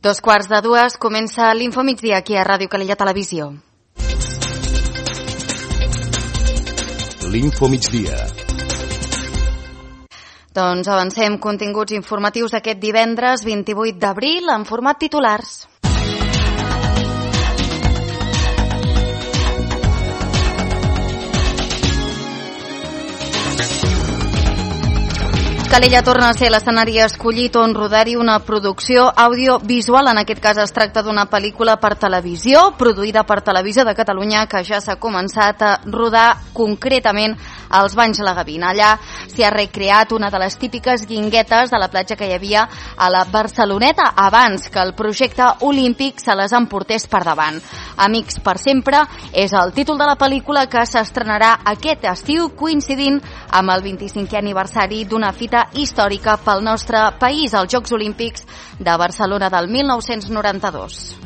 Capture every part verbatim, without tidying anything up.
Dos quarts de dues comença l'Infomigdia aquí a Ràdio Calella Televisió. L'Infomigdia. Doncs avancem continguts informatius aquest divendres vint-i-vuit d'abril en format titulars. Calella torna a ser l'escenari escollit on rodar-hi una producció audiovisual. En aquest cas es tracta d'una pel·lícula per televisió, produïda per Televisió de Catalunya, que ja s'ha començat a rodar concretament als Banys La Gavina. Allà s'hi ha recreat una de les típiques guinguetes de la platja que hi havia a la Barceloneta abans que el projecte olímpic se les emportés per davant. Amics per sempre és el títol de la pel·lícula que s'estrenarà aquest estiu, coincidint amb el vint-i-cinquè aniversari d'una fita històrica pel nostre país, els Jocs Olímpics de Barcelona del mil nou-cents noranta-dos.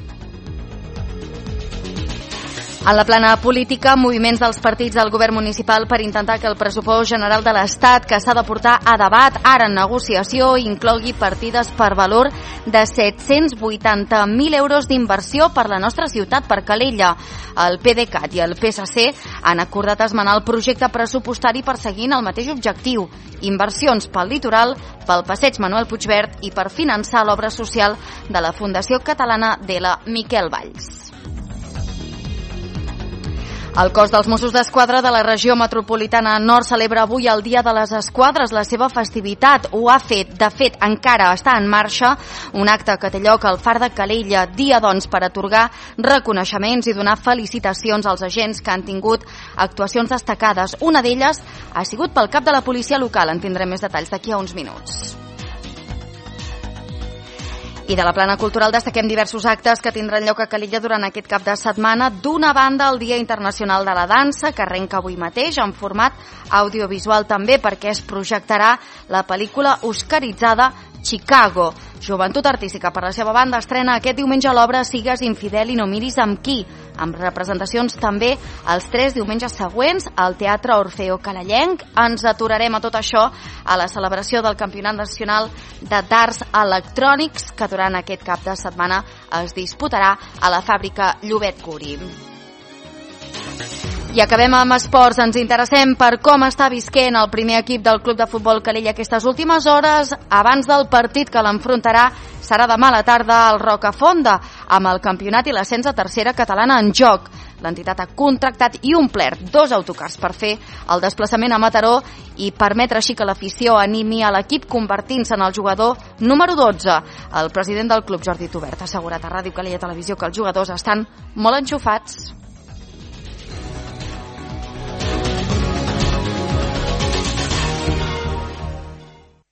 En la plana política, moviments dels partits del govern municipal per intentar que el pressupost general de l'Estat, que s'ha de portar a debat ara en negociació, inclogui partides per valor de set-cents vuitanta mil euros d'inversió per la nostra ciutat, per Calella. El PDeCAT i el P S C han acordat esmenar el projecte pressupostari perseguint el mateix objectiu: inversions pel litoral, pel passeig Manuel Puigverd i per finançar l'obra social de la Fundació Catalana de la Miquel Valls. El cos dels Mossos d'Esquadra de la regió metropolitana nord celebra avui el Dia de les Esquadres, la seva festivitat. Ho ha fet, de fet, encara està en marxa, un acte que té lloc al Far de Calella, dia doncs per atorgar reconeixements i donar felicitacions als agents que han tingut actuacions destacades. Una d'elles ha sigut pel cap de la policia local. En tindrem més detalls d'aquí a uns minuts. I de la plana cultural destaquem diversos actes que tindran lloc a Calella durant aquest cap de setmana. D'una banda, el Dia Internacional de la Dansa, que arrenca avui mateix en format audiovisual també, perquè es projectarà la pel·lícula oscaritzada Chicago. Joventut Artística, per la seva banda, estrena aquest diumenge l'obra Sigues infidel i no miris amb qui, amb representacions també els tres diumenges següents al Teatre Orfeo Calellenc. Ens aturarem a tot això a la celebració del Campionat Nacional de Darts Electrònics, que durant aquest cap de setmana es disputarà a la fàbrica Llobet Curi. I acabem amb esports. Ens interessem per com està visquent el primer equip del Club de Futbol Calella aquestes últimes hores, abans del partit que l'enfrontarà serà demà a la tarda al Rocafonda, amb el campionat i l'ascens a tercera catalana en joc. L'entitat ha contractat i omplert dos autocars per fer el desplaçament a Mataró i permetre així que l'afició animi a l'equip convertint-se en el jugador número dotze. El president del club, Jordi Tubert, ha assegurat a Ràdio Calella Televisió que els jugadors estan molt enxufats.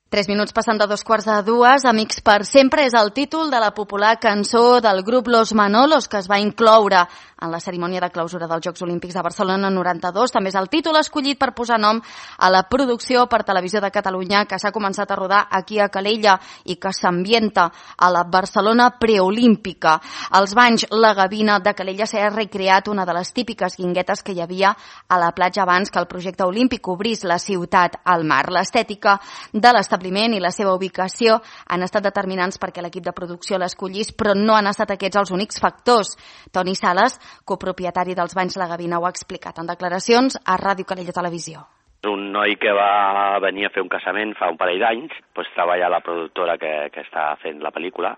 Tres minuts passant de dos quarts de dues. Amics per sempre és el títol de la popular cançó del grup Los Manolos, que es va incloure en la cerimònia de clausura dels Jocs Olímpics de Barcelona noranta-dos. També és el títol escollit per posar nom a la producció per Televisió de Catalunya que s'ha començat a rodar aquí a Calella i que s'ambienta a la Barcelona preolímpica. Als Banys La Gavina de Calella s'ha recreat una de les típiques guinguetes que hi havia a la platja abans que el projecte olímpic obrís la ciutat al mar. L'estètica de l'establiment i la seva ubicació han estat determinants perquè l'equip de producció l'escollís, però no han estat aquests els únics factors. Toni Sales, copropietari dels Banys La Gavina, ho ha explicat en declaracions a Ràdio Calella Televisió. Un noi que va venir a fer un casament fa un parell d'anys, doncs treballa a la productora que, que està fent la pel·lícula.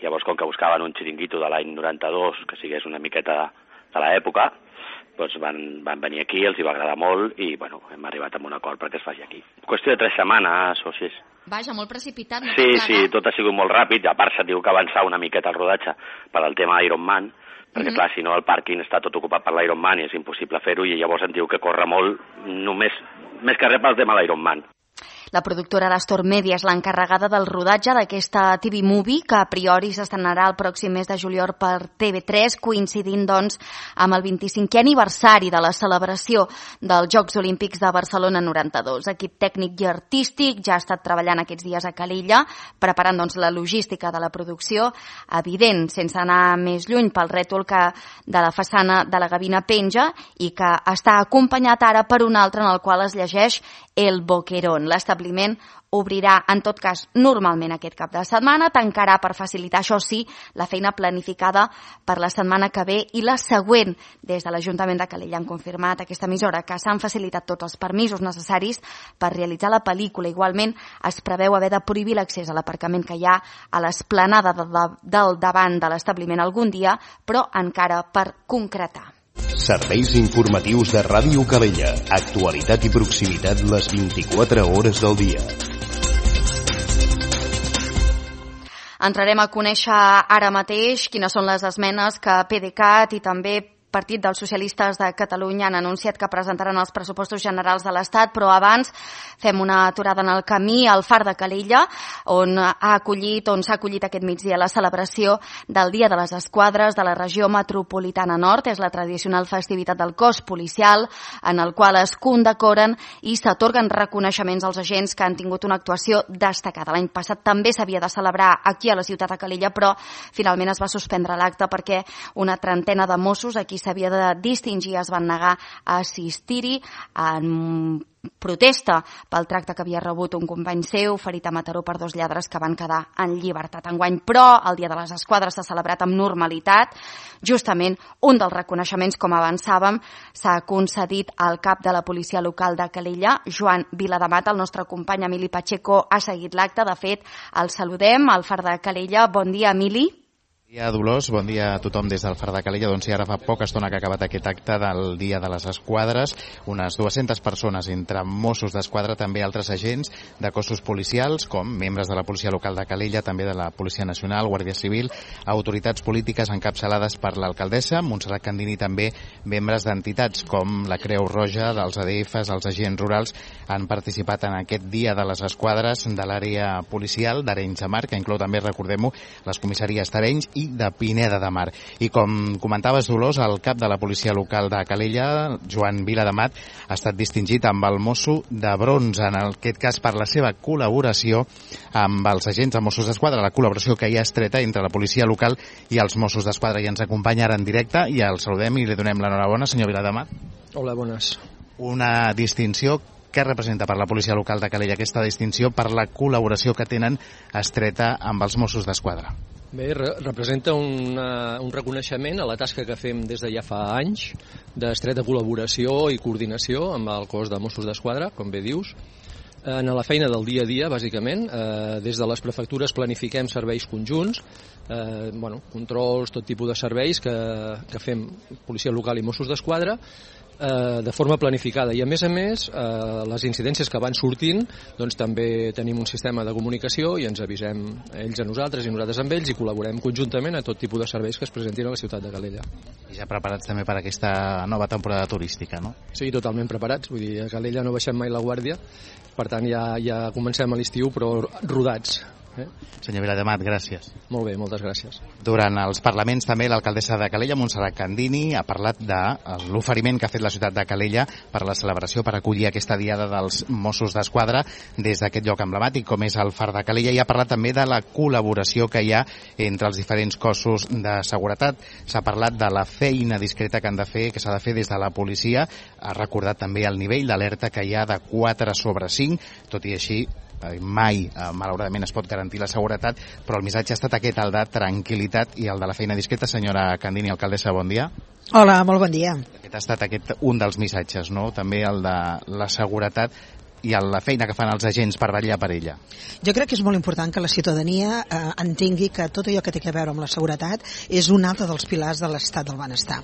Llavors, com que buscaven un xiringuito de l'any noranta-dos, que sigués una miqueta de l'època, doncs van, van venir aquí, els hi va agradar molt i bueno, hem arribat a un acord perquè es faci aquí. Qüestió de tres setmanes o sis. Vaja, molt precipitat. No sí, sí, tot ha sigut molt ràpid. A part, s'ha tingut que avançar una miqueta el rodatge per al tema Ironman, perquè, mm-hmm. clar, si no el pàrquing està tot ocupat per l'Ironman i és impossible fer-ho, i llavors en diu que corre molt, només, més que res pel tema de l'Ironman. La productora d'Astor Media és l'encarregada del rodatge d'aquesta T V Movie, que a priori s'estrenarà el pròxim mes de juliol per T V tres, coincidint doncs amb el vint-i-cinquè aniversari de la celebració dels Jocs Olímpics de Barcelona noranta-dos. Equip tècnic i artístic ja ha estat treballant aquests dies a Calella, preparant doncs la logística de la producció, evident, sense anar més lluny pel rètol que de la façana de la Gavina penja i que està acompanyat ara per un altre en el qual es llegeix El Boquerón. L'establiment obrirà, en tot cas, normalment aquest cap de setmana, tancarà per facilitar, això sí, la feina planificada per la setmana que ve i la següent. Des de l'Ajuntament de Calella han confirmat aquesta emissora que s'han facilitat tots els permisos necessaris per realitzar la pel·lícula. Igualment, es preveu haver de prohibir l'accés a l'aparcament que hi ha a l'esplanada de, de, del davant de l'establiment algun dia, però encara per concretar. Serveis informatius de Ràdio Calella. Actualitat i proximitat les vint-i-quatre hores del dia. Entrarem a conèixer ara mateix quines són les esmenes que PDeCAT i també Partit dels Socialistes de Catalunya han anunciat que presentaran els pressupostos generals de l'Estat, però abans fem una aturada en el camí al Far de Calella, on ha acollit, on s'ha acollit aquest migdia la celebració del Dia de les Esquadres de la regió metropolitana nord. És la tradicional festivitat del cos policial, en el qual es condecoren i s'atorguen reconeixements als agents que han tingut una actuació destacada. L'any passat també s'havia de celebrar aquí a la ciutat de Calella, però finalment es va suspendre l'acte perquè una trentena de Mossos aquí s'havia de distingir, es van negar a assistir-hi en protesta pel tracte que havia rebut un company seu, ferit a Mataró per dos lladres que van quedar en llibertat. Enguany, però, el Dia de les Esquadres s'ha celebrat amb normalitat. Justament, un dels reconeixements, com avançàvem, s'ha concedit al cap de la policia local de Calella, Joan Vilademat. El nostre company Emili Pacheco ha seguit l'acte. De fet, el saludem al Far de Calella. Bon dia, Emili. Bon dia, Dolors. Bon dia a tothom des del Far de Calella. Doncs sí, ara fa poca estona que ha acabat aquest acte del Dia de les Esquadres. Unes dues-centes persones, entre Mossos d'Esquadra, també altres agents de cossos policials, com membres de la policia local de Calella, també de la Policia Nacional, Guàrdia Civil, autoritats polítiques encapçalades per l'alcaldessa, Montserrat Candini, també membres d'entitats com la Creu Roja, dels A D Fs, els agents rurals, han participat en aquest Dia de les Esquadres de l'àrea policial d'Arenys de Mar, que inclou també, recordem-ho, les comissaries d'Arenys i de Pineda de Mar. I com comentaves, Dolors, el cap de la policia local de Calella, Joan Vilademat, ha estat distingit amb el Mosso de Bronze, en aquest cas per la seva col·laboració amb els agents de Mossos d'Esquadra, la col·laboració que hi ha estreta entre la policia local i els Mossos d'Esquadra. I ens acompanya ara en directe i el saludem i li donem l'enhorabona, senyor Vilademat. Hola, bones. Una distinció. Què representa per la policia local de Calella aquesta distinció per la col·laboració que tenen estreta amb els Mossos d'Esquadra? Bé, re representa una, un reconeixement a la tasca que fem des de ja fa anys d'estreta col·laboració i coordinació amb el cos de Mossos d'Esquadra, com bé dius. En la feina del dia a dia, bàsicament, eh, des de les prefectures planifiquem serveis conjunts, eh, bueno, controls, tot tipus de serveis que, que fem policia local i Mossos d'Esquadra, eh, de forma planificada. I a més a més, eh, les incidències que van sortint, doncs també tenim un sistema de comunicació i ens avisem ells a nosaltres i nosaltres amb ells i col·laborem conjuntament a tot tipus de serveis que es presentin a la ciutat de Calella. I ja preparats també per aquesta nova temporada turística, no? Sí, totalment preparats. Vull dir, a Calella no baixem mai la guàrdia, per tant ja, ja comencem a l'estiu, però rodats. Eh? Senyor Vilademat, gràcies. Molt bé, moltes gràcies. Durant els parlaments també l'alcaldessa de Calella, Montserrat Candini, ha parlat de l'oferiment que ha fet la ciutat de Calella per la celebració, per acollir aquesta diada dels Mossos d'Esquadra des d'aquest lloc emblemàtic com és el Far de Calella, i ha parlat també de la col·laboració que hi ha entre els diferents cossos de seguretat. S'ha parlat de la feina discreta que han de fer, que s'ha de fer des de la policia. Ha recordat també el nivell d'alerta que hi ha de quatre sobre cinc, tot i així mai, malauradament, es pot garantir la seguretat, però el missatge ha estat aquest, el de tranquil·litat i el de la feina discreta. Senyora Candini, alcaldessa, bon dia. Hola, molt bon dia. Aquest ha estat aquest un dels missatges, no? També el de la seguretat i la feina que fan els agents per vetllar per ella. Jo crec que és molt important que la ciutadania eh, entengui que tot allò que té a veure amb la seguretat és un altre dels pilars de l'estat del benestar.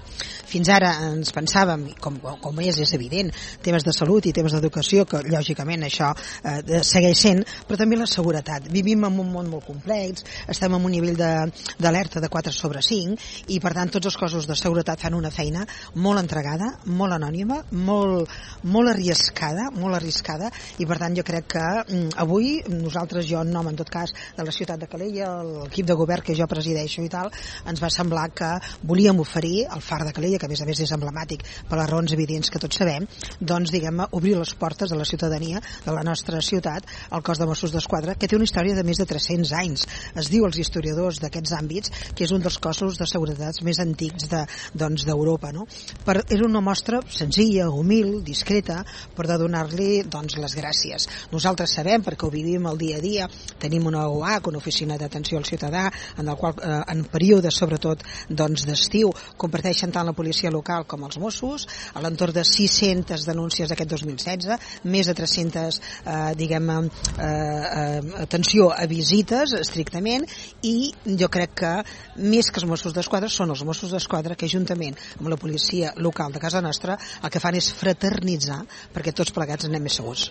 Fins ara ens pensàvem, com, com és, és evident, temes de salut i temes d'educació, que lògicament això eh, segueix sent, però també la seguretat. Vivim en un món molt complex, estem en un nivell d'alerta de, de quatre sobre cinc i per tant tots els cossos de seguretat fan una feina molt entregada, molt anònima, molt, molt arriscada, molt arriscada, i per tant jo crec que mm, avui nosaltres, jo en nom en tot cas de la ciutat de Calella, l'equip de govern que jo presideixo i tal, ens va semblar que volíem oferir al Far de Calella, que a més a més és emblemàtic per les raons evidents que tots sabem, doncs diguem obrir les portes de la ciutadania de la nostra ciutat al cos de Mossos d'Esquadra, que té una història de més de tres-cents anys. Es diu als historiadors d'aquests àmbits que és un dels cossos de seguretat més antics de, doncs, d'Europa, no? Per, és una mostra senzilla, humil, discreta, per de donar-li doncs doncs, les gràcies. Nosaltres sabem, perquè ho vivim el dia a dia, tenim una O A C, una oficina d'atenció al ciutadà, en el qual eh, en períodes, sobretot doncs, d'estiu, comparteixen tant la policia local com els Mossos, a l'entorn de sis-centes denúncies d'aquest dos mil setze, més de tres-centes eh, diguem, eh, eh, atenció a visites estrictament, i jo crec que més que els Mossos d'Esquadra són els Mossos d'Esquadra que juntament amb la policia local de casa nostra el que fan és fraternitzar perquè tots plegats anem més segurs.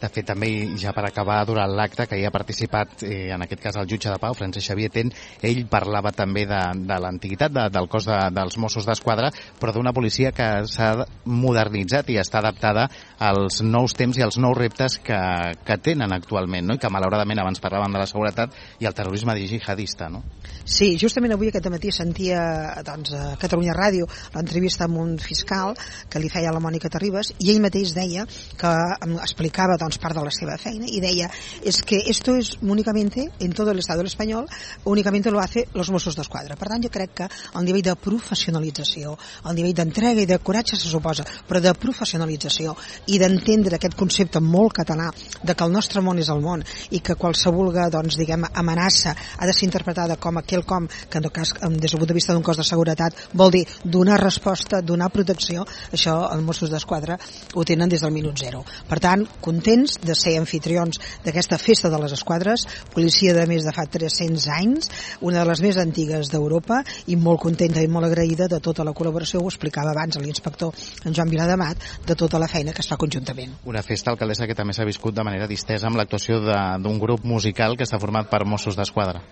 De fet, també, ja per acabar, durant l'acte que hi ha participat, eh, en aquest cas el jutge de Pau, Francesc Xavier Ten, ell parlava també de, de l'antiguitat de, del cos de, dels Mossos d'Esquadra, però d'una policia que s'ha modernitzat i està adaptada als nous temps i als nous reptes que, que tenen actualment, no? I que malauradament abans parlàvem de la seguretat i el terrorisme jihadista, no? Sí, justament avui aquest matí sentia doncs, a Catalunya Ràdio l'entrevista amb un fiscal que li feia a la Mònica Terribas, i ell mateix deia que explicava doncs, part de la seva feina i deia es que esto es únicamente en todo el Estado español únicamente lo hace los Mossos d'Esquadra. Per tant, jo crec que el nivell de professionalització, el nivell d'entrega i de coratge se suposa, però de professionalització i d'entendre aquest concepte molt català de que el nostre món és el món i que qualsevol doncs, diguem, amenaça ha de ser interpretada com aquell com que en tot cas, des del punt de vista d'un cos de seguretat, vol dir donar resposta, donar protecció, això els Mossos d'Esquadra ho tenen des del minut zero. Per tant, contents de ser anfitrions d'aquesta festa de les esquadres, policia de més de fa tres-cents anys, una de les més antigues d'Europa, i molt contenta i molt agraïda de tota la col·laboració, ho explicava abans l'inspector en Joan Viladamat, de tota la feina que es fa conjuntament. Una festa, alcaldessa, que també s'ha viscut de manera distesa amb l'actuació d'un grup musical que està format per Mossos d'Esquadra.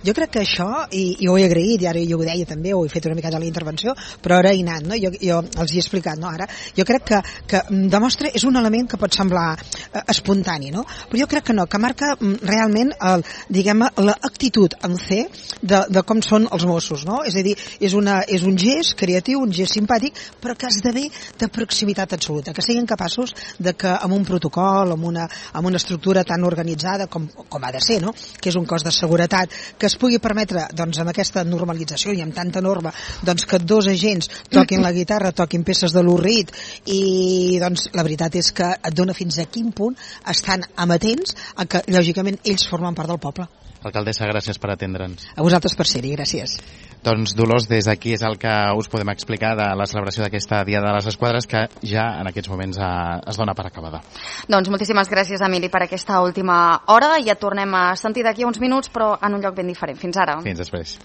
Jo crec que això, i, i ho he agraït, i ara jo ho deia també, ho he fet una mica de la intervenció, però ara he anat, no? jo, jo els he explicat, no? Ara, jo crec que, que demostra, és un element que pot semblar eh, espontani, no? Però jo crec que no, que marca realment el, diguem, l'actitud en C de, de com són els Mossos, no? És a dir, és, una, és un gest creatiu, un gest simpàtic, però que esdevé de proximitat absoluta, que siguin capaços de que amb un protocol, amb una, amb una estructura tan organitzada com, com ha de ser, no? Que és un cos de seguretat, que es pugui permetre, doncs, amb aquesta normalització i amb tanta norma, doncs, que dos agents toquin la guitarra, toquin peces de l'Urrit, i, doncs, la veritat és que et dona fins a quin punt estan amatents a que, lògicament, ells formen part del poble. Alcaldessa, gràcies per atendre'ns. A vosaltres per ser-hi, gràcies. Doncs, Dolors, des d'aquí és el que us podem explicar de la celebració d'aquesta Dia de les Esquadres, que ja en aquests moments eh, es dona per acabada. Doncs moltíssimes gràcies, Emili, per aquesta última hora. Ja tornem a sentir d'aquí uns minuts, però en un lloc ben diferent. Fins ara. Fins després.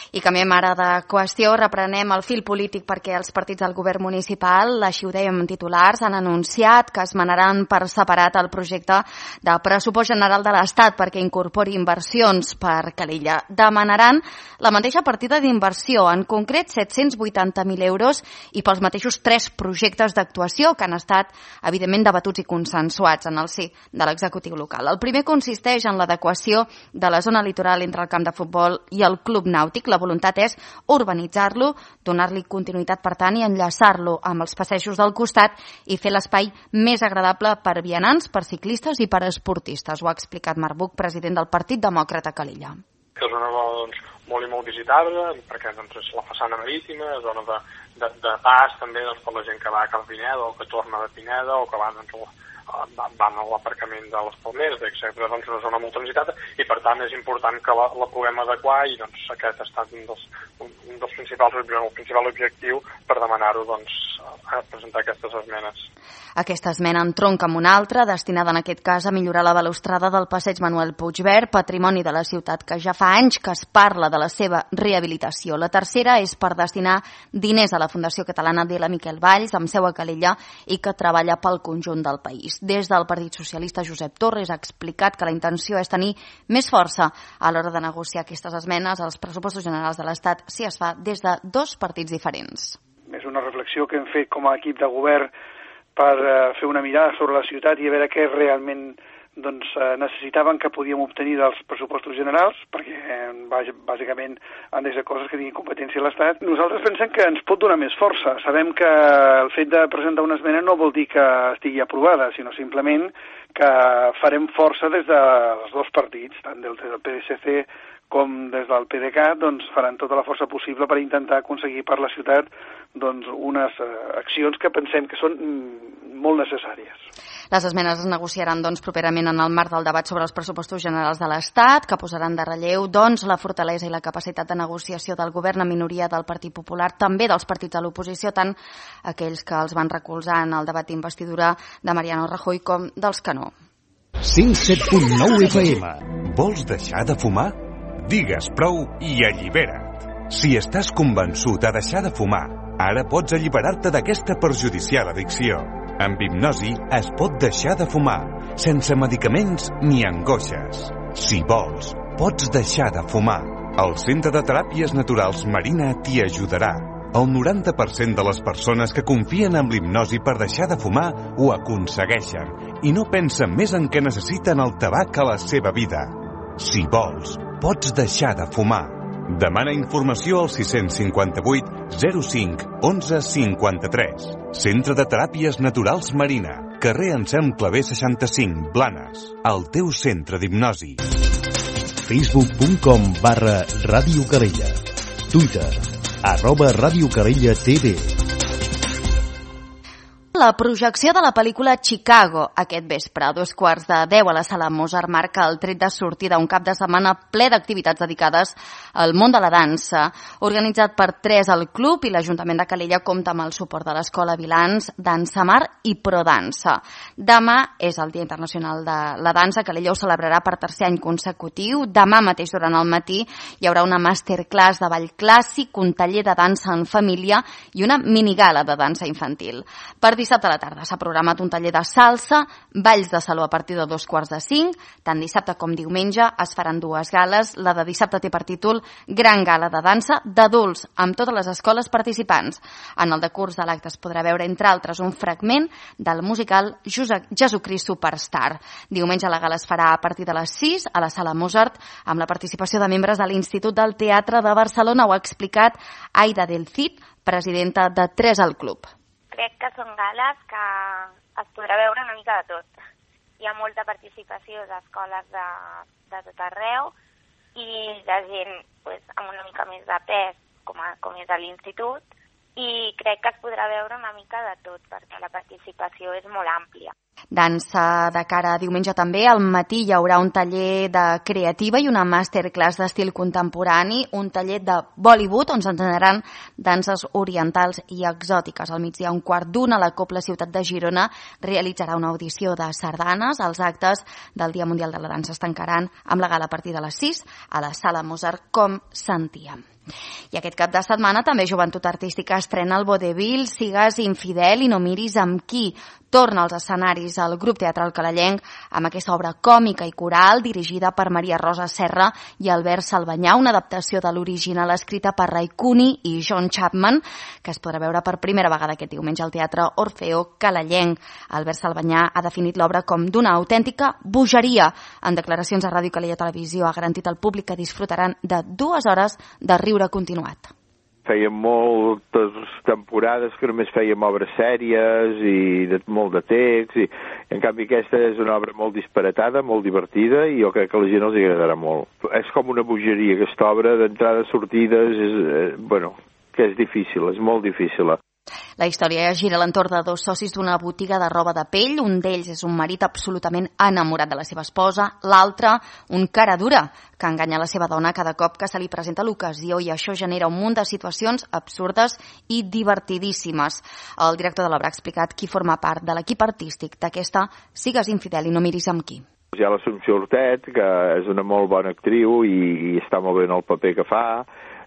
I canviem ara de qüestió, reprenem el fil polític perquè els partits del govern municipal, així ho dèiem en titulars, han anunciat que es manaran per separat el projecte de pressupost general de l'Estat perquè incorpori inversions per Calella. Demanaran la mateixa partida d'inversió, en concret set-cents vuitanta mil euros, i pels mateixos tres projectes d'actuació que han estat, evidentment, debatuts i consensuats en el si de l'executiu local. El primer consisteix en l'adequació de la zona litoral entre el camp de futbol i el club nàutic. La voluntat és urbanitzar-lo, donar-li continuïtat, per tant, i enllaçar-lo amb els passejos del costat i fer l'espai més agradable per vianants, per ciclistes i per esportistes. Ho ha explicat Marc Buch, president del Partit Demòcrata Calella. Que és una zona doncs, molt i molt visitable, perquè doncs, és la façana marítima, zona de, de, de pas també doncs, per la gent que va cap a Pineda o que torna de Pineda o que va doncs, van a l'aparcament de les Palmeres, etcètera. Doncs una zona molt transitada i per tant és important que la, la puguem adequar, i doncs aquest ha estat un dels, un, un dels principals, el principal objectiu per demanar-ho, doncs, a presentar aquestes esmenes. Aquesta esmena entronca amb una altra, destinada en aquest cas a millorar la balustrada del passeig Manuel Puigverd, patrimoni de la ciutat que ja fa anys que es parla de la seva rehabilitació. La tercera és per destinar diners a la Fundació Catalana de la Miquel Valls, amb seu a Calella, i que treballa pel conjunt del país. Des del Partit Socialista, Josep Torres ha explicat que la intenció és tenir més força a l'hora de negociar aquestes esmenes als pressupostos generals de l'Estat si es fa des de dos partits diferents. És una reflexió que hem fet com a equip de govern per uh, fer una mirada sobre la ciutat i a veure què realment doncs, uh, necessitaven que podíem obtenir dels pressupostos generals, perquè eh, bàsicament han de ser coses que tinguin competència a l'Estat. Nosaltres pensem que ens pot donar més força. Sabem que el fet de presentar una esmena no vol dir que estigui aprovada, sinó simplement que farem força des dels dos partits, tant del, del P S C com des del P D C A t doncs, faran tota la força possible per intentar aconseguir per la ciutat doncs, unes eh, accions que pensem que són mm, molt necessàries. Les esmenes es negociaran doncs, properament en el marc del debat sobre els pressupostos generals de l'Estat, que posaran de relleu doncs, la fortalesa i la capacitat de negociació del govern en minoria del Partit Popular, també dels partits de l'oposició, tant aquells que els van recolzar en el debat d'investidura de Mariano Rajoy com dels que no. cent set punt nou F M. Vols deixar de fumar? Digues prou i allibera't. Si estàs convençut a deixar de fumar, ara pots alliberar-te d'aquesta perjudicial addicció. Amb hipnosi es pot deixar de fumar, sense medicaments ni angoixes. Si vols, pots deixar de fumar. El Centre de Teràpies Naturals Marina t'hi ajudarà. El noranta per cent de les persones que confien en l'hipnosi per deixar de fumar ho aconsegueixen i no pensen més en què necessiten el tabac a la seva vida. Si vols, pots deixar de fumar. Demana informació al sis cinc vuit zero cinc onze cinquanta-tres. Centre de Teràpies Naturals Marina, carrer Anselm Clavé seixanta-cinc, Blanes. El teu centre d'hipnosi. facebook punt com barra Ràdio Calella. Twitter, arroba Ràdio Calella T V. La projecció de la pel·lícula Chicago aquest vespre a dos quarts de deu a la Sala Mozart marca el tret de sortida un cap de setmana ple d'activitats dedicades al món de la dansa. Organitzat per tres al club i l'Ajuntament de Calella compta amb el suport de l'Escola Vilans, Dansa Mar i Prodansa. Demà és el Dia Internacional de la Dansa. Calella ho celebrarà per tercer any consecutiu. Demà mateix durant el matí hi haurà una masterclass de ball clàssic, un taller de dansa en família i una minigala de dansa infantil. Per dissabte a la tarda s'ha programat un taller de salsa, balls de saló a partir de dos quarts de cinc. Tant dissabte com diumenge es faran dues gales. La de dissabte té per títol Gran Gala de Dansa d'adults amb totes les escoles participants. En el decurs de l'acte es podrà veure, entre altres, un fragment del musical Jesucrist Superstar. Diumenge la gala es farà a partir de les sis a la Sala Mozart amb la participació de membres de l'Institut del Teatre de Barcelona. Ho ha explicat Aida del Cid, presidenta de Tres al Club. Crec que són gales que es podrà veure una mica de tot. Hi ha molta participació d'escoles de, de tot arreu i de gent pues, amb una mica més de pes, com, a, com és a l'institut, i crec que es podrà veure una mica de tot, perquè la participació és molt àmplia. Dansa de cara a diumenge també. Al matí hi haurà un taller de creativa i una masterclass d'estil contemporani, un taller de Bollywood on s'entrenaran danses orientals i exòtiques. Al migdia, un quart d'una, la Cobla Ciutat de Girona realitzarà una audició de sardanes. Els actes del Dia Mundial de la Dansa es tancaran amb la gala a partir de les sis a la Sala Mozart, com sentíem. I aquest cap de setmana també Joventut Artística estrena el vodevil Sigues infidel i no miris amb qui. Torna als escenaris al grup teatral calellenc amb aquesta obra còmica i coral dirigida per Maria Rosa Serra i Albert Salvanyà, una adaptació de l'original escrita per Ray Cooney i John Chapman, que es podrà veure per primera vegada aquest diumenge al Teatre Orfeo calellenc. Albert Salvanyà ha definit l'obra com d'una autèntica bogeria. En declaracions a Ràdio Calella Televisió ha garantit al públic que disfrutaran de dues hores de riure continuat. Fèiem moltes temporades que només fèiem obres sèries i de, molt de text, i en canvi aquesta és una obra molt disparatada, molt divertida, i jo crec que a la gent els agradarà molt. És com una bogeria, aquesta obra, d'entrades, sortides, és, eh, bueno, que és difícil, és molt difícil. La història gira a l'entorn de dos socis d'una botiga de roba de pell. Un d'ells és un marit absolutament enamorat de la seva esposa, l'altre un cara dura que enganya la seva dona cada cop que se li presenta l'ocasió, i això genera un munt de situacions absurdes i divertidíssimes. El director de l'obra ha explicat qui forma part de l'equip artístic d'aquesta Sigues infidel i no miris amb qui. Hi ha l'Assumpció Hortet, que és una molt bona actriu i, i està molt bé en el paper que fa.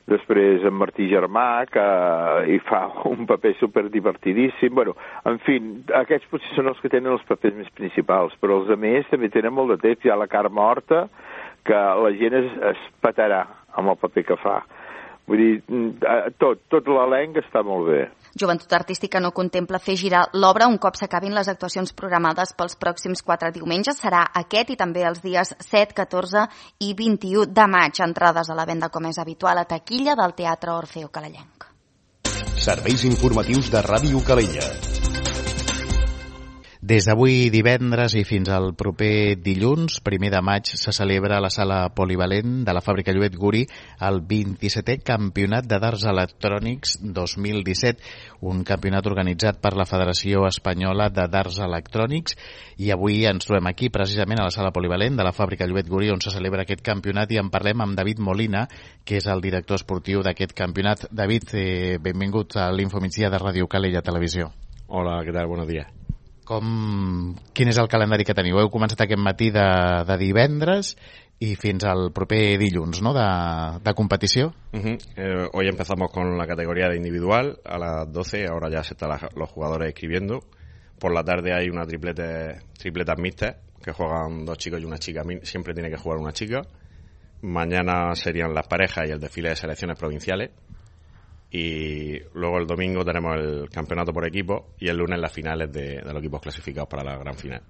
Després en Martí Germà, que hi fa un paper superdivertidíssim. Bueno, en fi, aquests potser són els que tenen els papers més principals, però els altres també tenen molt de temps. Hi ha la Carme Horta, que la gent es, es petarà amb el paper que fa. Vull dir, tot, tot l'elenc està molt bé. Joventut Artística no contempla fer girar l'obra un cop s'acabin les actuacions programades pels pròxims quatre diumenges. Serà aquest i també els dies set, catorze i vint-i-u de maig. Entrades a la venda, com és habitual, a taquilla del Teatre Orfeo calellenc. Serveis informatius de Ràdio Calella. Des d'avui divendres i fins al proper dilluns, primer de maig, se celebra a la sala polivalent de la Fàbrica Lluet Guri el vint-i-setè Campionat de Darts Electrònics dos mil disset, un campionat organitzat per la Federació Espanyola de Darts Electrònics, i avui ens trobem aquí precisament a la sala polivalent de la Fàbrica Lluet Guri on se celebra aquest campionat i en parlem amb David Molina, que és el director esportiu d'aquest campionat. David, eh, benvingut a l'Infomigdia de Ràdio Calella Televisió. Hola, què tal? Buenos días. Com, quin és el calendari que teniu? Heu començat aquest matí de, de divendres y fins al proper dilluns, ¿no?, de, de competició. Uh-huh. eh, hoy empezamos con la categoría de individual a las doce, ahora ya se están la, los jugadores escribiendo. Por la tarde hay una triplete, tripletas mixtas que juegan dos chicos y una chica, siempre tiene que jugar una chica. Mañana serían las parejas y el desfile de selecciones provinciales. Y luego el domingo tenemos el campeonato por equipo y el lunes las finales de, de los equipos clasificados para la gran final.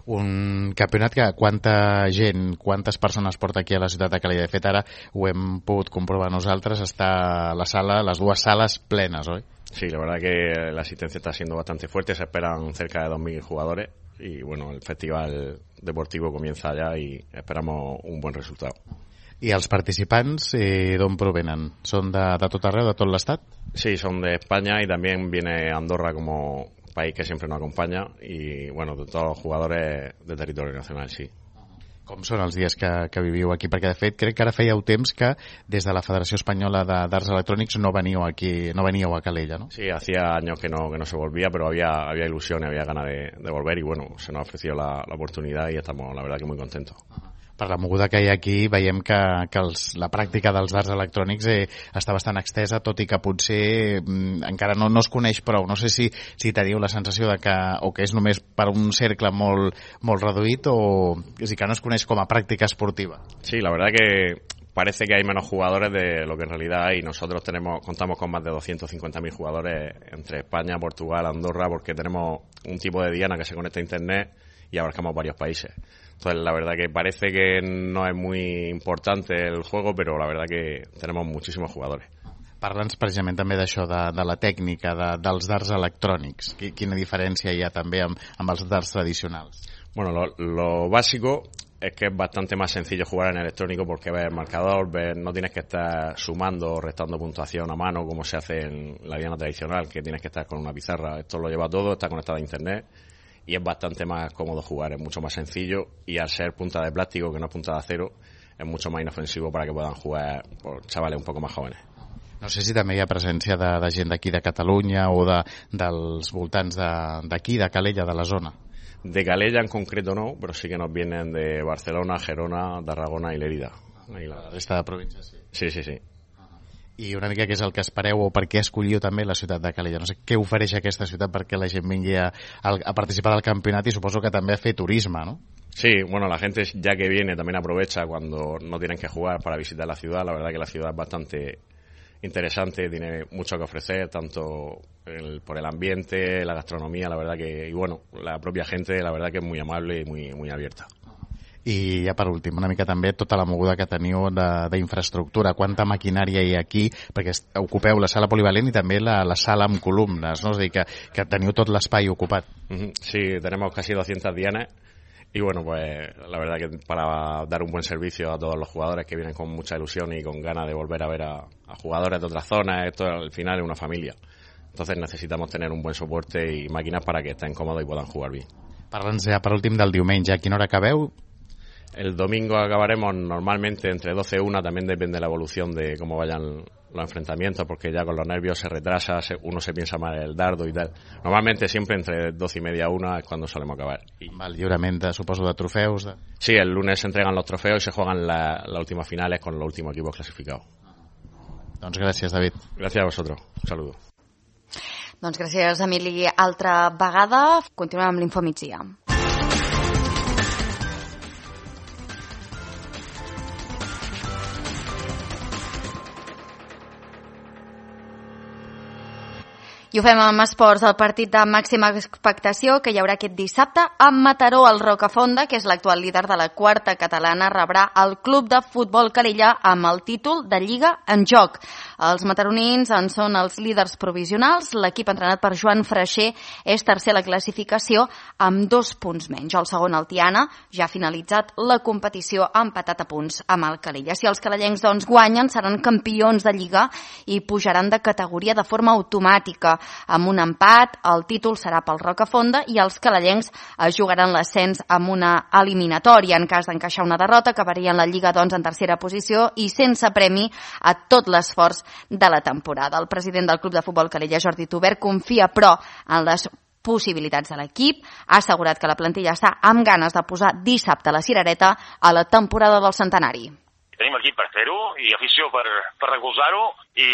Un campionat que quanta gent, quantes persones porta aquí a la ciutat de Calella? De fet, ara ho hem pogut comprovar nosaltres, està la sala, las dues sales plenes, ¿oi? Sí, la verdad que la asistencia está siendo bastante fuerte, se esperan cerca de dos mil jugadores y bueno, el festival deportivo comienza ya y esperamos un buen resultado. I els participants eh, d'on provenen? Són de, de tot arreu, de tot l'estat? Sí, son de España y también viene Andorra como país que siempre nos acompaña y bueno, de todos los jugadores de territorio nacional, sí. Com són els dies que, que viviu aquí? Perquè de fet crec que ara fèieu temps que des de la Federació Espanyola de Darts Electrònics no veníeu aquí, no veníeu a Calella, ¿no? Sí, hacía años que no, que no se volvía, pero había, había ilusión y había ganas de, de volver y bueno, se nos ha ofrecido la, la oportunidad y estamos la verdad que muy contentos. Per la moguda que hi ha aquí veiem que, que els, la pràctica dels darts electrònics eh, està bastant extesa, tot i que potser mm, encara no, no es coneix prou. No sé si, si teniu la sensació de que, o que és només per un cercle molt, molt reduït o és dir, que no es coneix com a pràctica esportiva. Sí, la verdad que parece que hay menos jugadores de lo que en realidad hay. Nosotros tenemos, contamos con más de doscientos cincuenta mil jugadores entre España, Portugal, Andorra, porque tenemos un tipo de diana que se conecta a internet y abarcamos varios países. Entonces, la verdad que parece que no es muy importante el juego, pero la verdad que tenemos muchísimos jugadores. Parla'ns precisament també d'això, de, de la tècnica, de, dels darts electrònics. Quina diferència hi ha també amb, amb els darts tradicionals? Bueno, lo, lo básico es que es bastante más sencillo jugar en electrónico porque ves el marcador, ves, no tienes que estar sumando o restando puntuación a mano como se hace en la diana tradicional, que tienes que estar con una pizarra. Esto lo lleva todo, está conectado a internet. Y es bastante más cómodo jugar, es mucho más sencillo y al ser punta de plástico, que no es punta de acero, es mucho más inofensivo para que puedan jugar por chavales un poco más jóvenes. No sé si també hi ha presència de, de gent d'aquí de Catalunya o de, dels voltants d'aquí, de, de Calella, de la zona. De Calella en concreto no, pero sí que nos vienen de Barcelona, Gerona, Tarragona y Lérida. Ahí la resta de províncies, sí. Sí, sí, sí. I una mica què és el que espereu o per què escolliu també la ciutat de Calella? No sé què ofereix aquesta ciutat perquè la gent vingui a, a participar del campionat y suposo que també a fer turisme, ¿no? Sí, bueno, la gente ya que viene también aprovecha cuando no tienen que jugar para visitar la ciudad. La verdad que la ciudad es bastante interesante, tiene mucho que ofrecer, tanto el, por el ambiente, la gastronomía, la verdad que, y bueno, la propia gente, la verdad que es muy amable y muy, muy abierta. I ja per últim, una mica també tota la moguda que teniu d'infraestructura, quanta maquinària hi ha aquí, perquè ocupeu la sala polivalent i també la, la sala amb columnes, no? És a dir, que, que teniu tot l'espai ocupat. Sí, tenemos casi doscientas dianas y bueno, pues la verdad que para dar un buen servicio a todos los jugadores que vienen con mucha ilusión y con ganas de volver a ver a, a jugadores de otras zonas, esto al final es una familia. Entonces necesitamos tener un buen soporte y máquinas para que estén cómodos y puedan jugar bien. Parla'ns ja per últim del diumenge, a quina hora acabeu? El domingo acabaremos normalmente entre doce y una, también depende de la evolución de cómo vayan los enfrentamientos, porque ya con los nervios se retrasa, se, uno se piensa más el dardo y tal. Normalmente siempre entre doce y media a una es cuando solemos acabar. I amb el lliurament, de, suposo, de trofeus? De... Sí, el lunes se entregan los trofeos y se juegan las la últimas finales con los últimos equipos clasificados. Doncs gràcies, David. Gràcies a vosotros. Un saludo. Doncs gràcies, Emili. Altra vegada, continuem amb l'Infomigdia. I ho fem amb esports, el partit de màxima expectació que hi haurà aquest dissabte a Mataró. El Rocafonda, que és l'actual líder de la quarta catalana, rebrà el club de futbol Calella amb el títol de Lliga en joc. Els mataronins en són els líders provisionals. L'equip entrenat per Joan Freixer és tercer a la classificació amb dos punts menys. El segon, el Tiana, ja ha finalitzat la competició empatat a punts amb el Calella. Si els calellencs doncs, guanyen, seran campions de Lliga i pujaran de categoria de forma automàtica. Amb un empat, el títol serà pel Rocafonda i els calellencs es jugaran l'ascens amb una eliminatòria. En cas d'encaixar una derrota, acabarien la Lliga doncs, en tercera posició i sense premi a tot l'esforç de la temporada. El president del Club de Futbol Calella, Jordi Tubert, confia, però, en les possibilitats de l'equip. Ha assegurat que la plantilla està amb ganes de posar dissabte la cirereta a la temporada del centenari. Tenim equip per fer-ho i afició per, per recolzar-ho i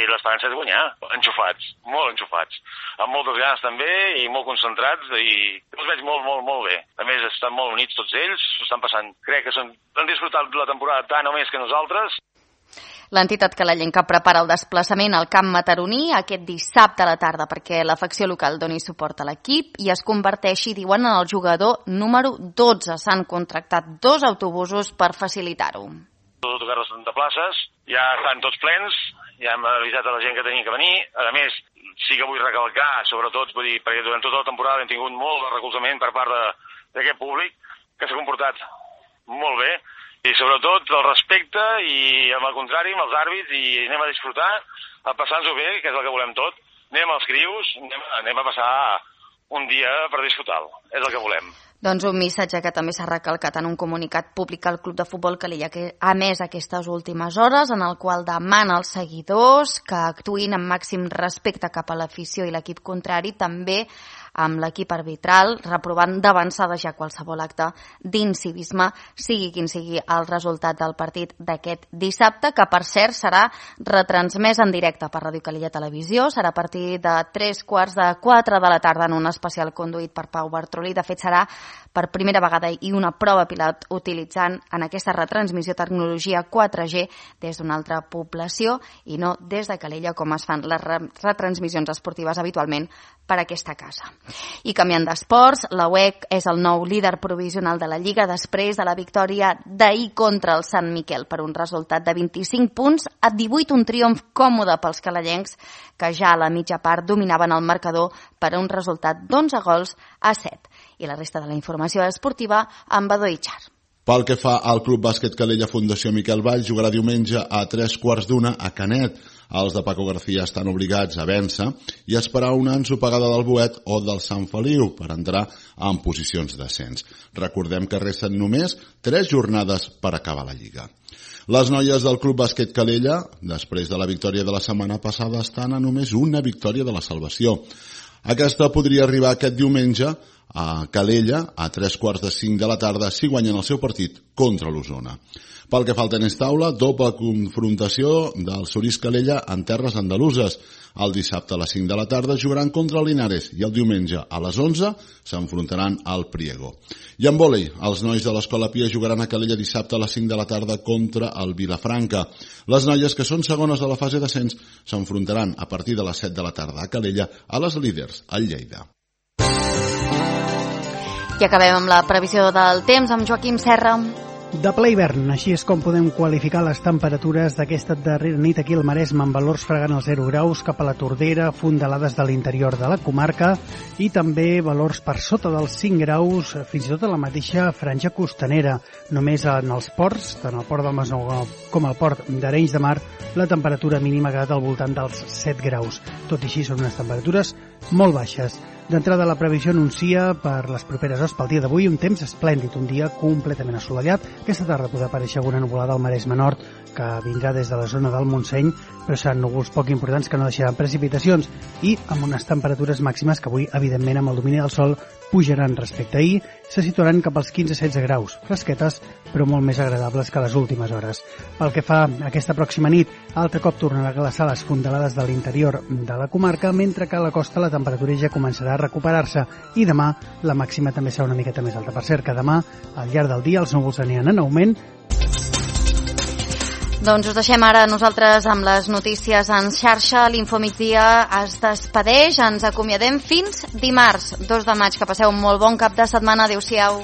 l'esperança és guanyar. Enxufats, molt enxufats. Amb moltes ganes també i molt concentrats i els veig molt, molt, molt bé. A més, estan molt units tots ells, s'ho estan passant. Crec que són, han disfrutat la temporada tant o més que nosaltres. L'entitat calellenca prepara el desplaçament al camp mataroní aquest dissabte a la tarda perquè la facció local doni suport a l'equip i es converteixi, diuen, en el jugador número dotze. S'han contractat dos autobusos per facilitar-ho. Tot tocar les trenta places, ja estan tots plens, ja hem avisat a la gent que tenia que venir. A més, sí que vull recalcar, sobretot, vull dir, perquè durant tota la temporada hem tingut molt de recolzament per part d'aquest públic, que s'ha comportat molt bé, i sobretot el respecte i, amb el contrari, amb els àrbits, i anem a disfrutar, a passar-nos-ho bé, que és el que volem tot. Anem als crius, anem, anem a passar un dia per disfrutar-lo, és el que volem. Doncs un missatge que també s'ha recalcat en un comunicat públic al Club de Futbol Calella, que ha emès aquestes últimes hores, en el qual demana als seguidors que actuïn amb màxim respecte cap a l'afició i l'equip contrari, també amb l'equip arbitral, reprovant d'avançada ja qualsevol acte d'incivisme, sigui quin sigui el resultat del partit d'aquest dissabte, que per cert serà retransmès en directe per Ràdio Calella Televisió. Serà a partir de tres quarts de quatre de la tarda en un especial conduït per Pau Bartrolí. De fet, serà per primera vegada i una prova pilot utilitzant en aquesta retransmissió tecnologia quatre G des d'una altra població i no des de Calella, com es fan les retransmissions esportives habitualment per aquesta casa. I canviant d'esports, la U E C és el nou líder provisional de la Lliga després de la victòria d'ahir contra el Sant Miquel per un resultat de vint-i-cinc punts a divuit, un triomf còmode pels calellencs que ja a la mitja part dominaven el marcador per un resultat d'onze gols a set. I la resta de la informació esportiva amb Badó Itxar. Pel que fa al Club Bàsquet Calella Fundació Miquel Vall, jugarà diumenge a tres quarts d'una a Canet. Els de Paco García estan obligats a vèncer i a esperar una ensopegada del Boet o del Sant Feliu per entrar en posicions d'ascens. Recordem que resten només tres jornades per acabar la Lliga. Les noies del Club Bàsquet Calella, després de la victòria de la setmana passada, estan a només una victòria de la salvació. Aquesta podria arribar aquest diumenge a Calella a tres quarts de cinc de la tarda si guanyen el seu partit contra l'Osona. Pel que fa al tenis taula, doble confrontació del Sorís Calella en terres andaluses. El dissabte a les cinc de la tarda jugaran contra el Linares i el diumenge a les onze s'enfrontaran al Priego. I en vòlei, els nois de l'Escola Pia jugaran a Calella dissabte a les cinc de la tarda contra el Vilafranca. Les noies, que són segones de la fase d'ascens, s'enfrontaran a partir de les set de la tarda a Calella a les líders, al Lleida. I acabem amb la previsió del temps amb Joaquim Serra. De ple hivern, així és com podem qualificar les temperatures d'aquesta darrera nit aquí al Maresme, amb valors fregant els zero graus cap a la Tordera, fondalades de l'interior de la comarca i també valors per sota dels cinc graus, fins i tot a la mateixa franja costanera. Només en els ports, tant el port del Masnou com el port d'Arenys de Mar, la temperatura mínima ha quedat al voltant dels set graus. Tot i així són unes temperatures molt baixes. D'entrada, la previsió anuncia per les properes hores pel dia d'avui un temps esplèndid, un dia completament assolellat. Aquesta tarda podrà aparèixer alguna nuvolada al Maresme Nord que vindrà des de la zona del Montseny, però seran núvols poc importants que no deixaran precipitacions i amb unes temperatures màximes que avui, evidentment, amb el domini del sol pujaran respecte a ahir, se situaran cap als quinze a setze graus, fresquetes, però molt més agradables que les últimes hores. Pel que fa a aquesta pròxima nit, altre cop tornarà a glaçar les fondalades de l'interior de la comarca, mentre que a la costa la temperatura ja començarà a recuperar-se i demà la màxima també serà una miqueta més alta. Per cert, que demà, al llarg del dia, els núvols aniran en augment. Doncs us deixem ara nosaltres amb les notícies en xarxa. L'Infomigdia es despedeix. Ens acomiadem fins dimarts, dos de maig. Que passeu un molt bon cap de setmana. Adéu-siau.